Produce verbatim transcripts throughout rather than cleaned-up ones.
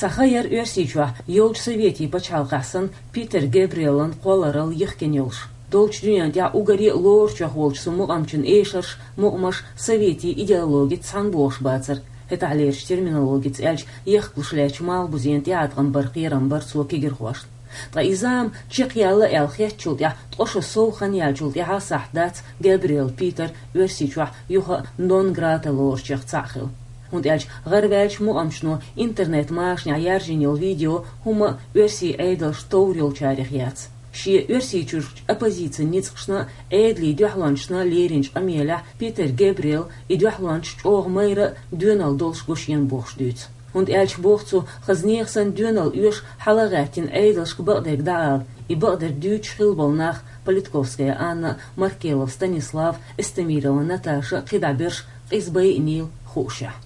Цхьа ха яр Оьрсийчохь йолчу советийн пачхьалкхехь санна Питер Гебриэлан кхолларалла йихкина йолуш. Долчу дуьнен тӀехь уггаре а лоручех волчу цу мукъамчун эшарш, мукъамаш советийн идеологица цхьаьна бохуш бацара. ХӀетахьлерчу терминологица аьлча, ехкалуш лаьттачу малхбузенан тӀеӀаткъам бара кхерам бара цо кегийрхошна. Ткъа и зама чекхъяьлла аьлла хеттачул тӀаьхьа ткъа шо сов хан яьллачул тӀаьхьа сахьт дац Габриэл Питер Оьрсийчохь юха а нон грата лоручех цхьаъ хила. ХӀунда аьлча гӀараваьллачу мукъамчано интернет-машанехь яьржина йолу видео хӀумма а оьрсийн Ӏедалш товр йолчарех яц. Шен Оьрсийчуьрчу оппозицин ницкъашна а, Ӏедалийн дуьхьалончашна а леринчу къамелехь Питер Гебриэл и дуьхьалончаш чӀогӀа майра а, доьналла долуш го шена бохуш дуьйцу. ХӀунда аьлча боху цо, хаза нехан санна доьналла оьшу хьала а гӀаьттина Ӏедалшка бакъдерг дӀаала, и бакъдерг дуьйцуш хилла болу нах Политковская Анна, Маркелов Станислав, Эстемирова Наташа, кхидӀа берш къиза байинийла хуушехь.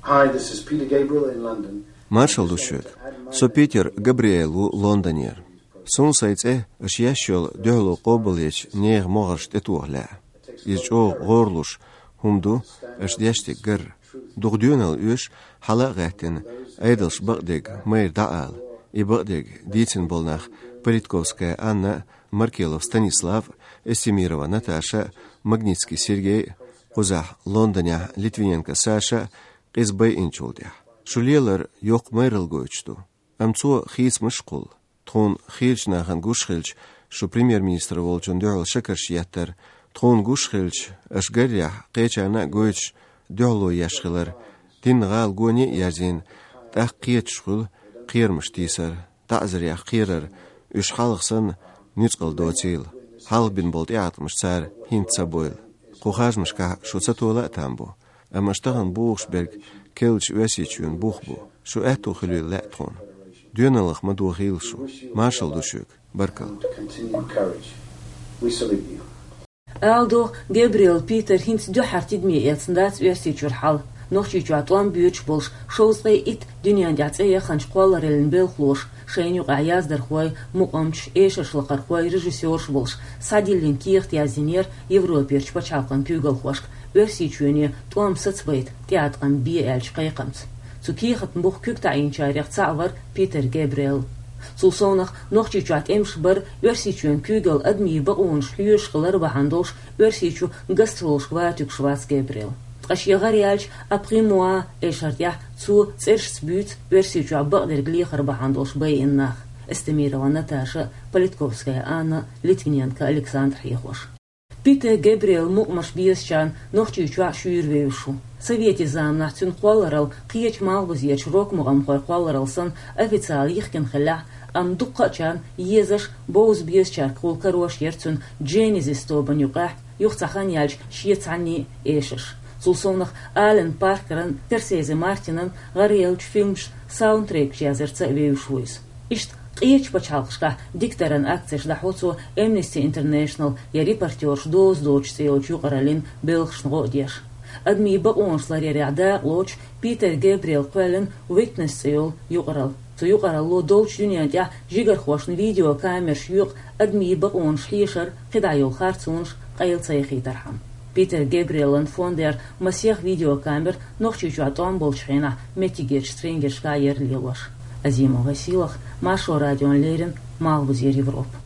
Hi, this is Peter Gabriel in London. Маршалла ду шуьга. Со Питер Габриэл ву Лондонера. Суна сайн цӀе аша еш йолу дуьхьало къобалъечу нехан могӀаршна тӀетоха лаьа. Иза чӀогӀа гӀорлуш хӀума ду аша деш дерг гар. Дукха доьналла оьшу хьала а гӀаьттина, Ӏедалшка бакъдерг майра дӀаала, и бакъдерг дийцина болу нах Политковская Анна а, Маркелов Станислав а, Эстемирова Наташа а, Магнитский Сергей а, кхузахь Лондонехь Литвиненко Саша а къиза байинчул тӀаьхьа. Шу лелар йоккха майралла гойтуш ду. Амма цо хийцамаш а кхуллу. Тхуна хийрачу нахана гуш хилча, шу премьер-министр волчунна дуьхьал шакарш еттара. Тхуна гуш хилча, аша гарехь, кхечарна а гойтуш, дуьхьало еш хилар. Динна гӀала гоне а ерзийна, тӀаккха кхеташ хуьлу кхерамаш тийсар, таӀзарех кхерар, уьш хьалха санна нуьцкъала доцийла. Хьалха бина болу тӀеӀаткъамаш цара хӀинца ца бойла. Кху харжамашкахь шу ца тола а там бу. Амма аша тахана бохуш берг керлачу Оьрсийчоьнан бух бу. Шу аьтту хуьлийла лаьа тхуна. Доьналлах ма дохийла шу. Маршалла ду шуьга. Баркалла. Continue courage. We salute you. Ала догӀу, Габриэл Питер хӀинца дуьххьара тидаме эцна дац Оьрсийчуьра хьал. Нохчийчохь тӀом боьдуш болуш шовзткъе итт дуьнен тӀехь цӀе яханчу кхоллараллин белхалоша, шайна юкъахь яздархой, мукъамчаш, эшаршлакхархой, режиссерш болуш, схьадиллина кехат яздинера Европерчу пачхьалкхан куьйгалхошка, Оьрсийчоьне тӀом сацабайта тӀеӀаткъам бе аьллачу кхайкхамца. Цу кехатан буха куьг таӀийначарех цхьаъ вара Питер Гебриэл. Цул совнаха Нохчийчохь тӀемаш бар, Оьрсийчоьнан куьйгалла адамийн бакъонаш хьоьжуш хилар бахьана долуш, Оьрсийчу гастролашка ватуьгуш вац Гебриэл. Ткъа шен гӀара яьллачу Après moi эшар тӀехь цо цӀерашца буьйцу Оьрсийчохь бакъдерг лехар бахьана долуш байина нах: Эстемирова Наташа, Политковская Анна, Литвиненко Александр хьехош. Питер Гебриэл мукъамаш безачарна Нохчийчохь шуьйра вевзаш ву. Советийн заманахь цуьнан кхолларалла кхечу малхбузерчу рок-мукъамхойн кхолларалла санна официалан йихкина хиллехь а, амма дуккхачарна езаш, бовза безачаьргахула карош яра цуьнан Genesis тобанна юкъахь юха цхьа хан яьлча шен цхьанний а эшарш. Цул совнаха Алан Паркеран, Скорсезе Мартинан гӀараяьллачу фильмашна саундтрекаш яздарца а вевзаш ву иза. Иштта къечу пачхьалкхашкахь дикадаран акцеш дӀахьо цо Amnesty International я Репортёраш доза доцуш цӀе йолчу юкъараллин белхашна гӀо а деш. Адамийн бакъонаш ларъярехь дакъалоцуш Питер Гебриэл кхоьллина Witness цӀе йолу юкъаралла. Цу юкъаралло долчу дуьнен тӀехь жигархошна видеокамераш йоькъу адамийн бакъонаш хьешар, кхидӀа йолу харцонаш къайла ца яхийтархьама. Питер Гебриэлан фондера масех видеокамера Нохчийчохь тӀом болчу хенахь меттигерчу стрингершкахь яра лелош. Азимова Василах, Маршо радиона леррина, Малхбузера Европа.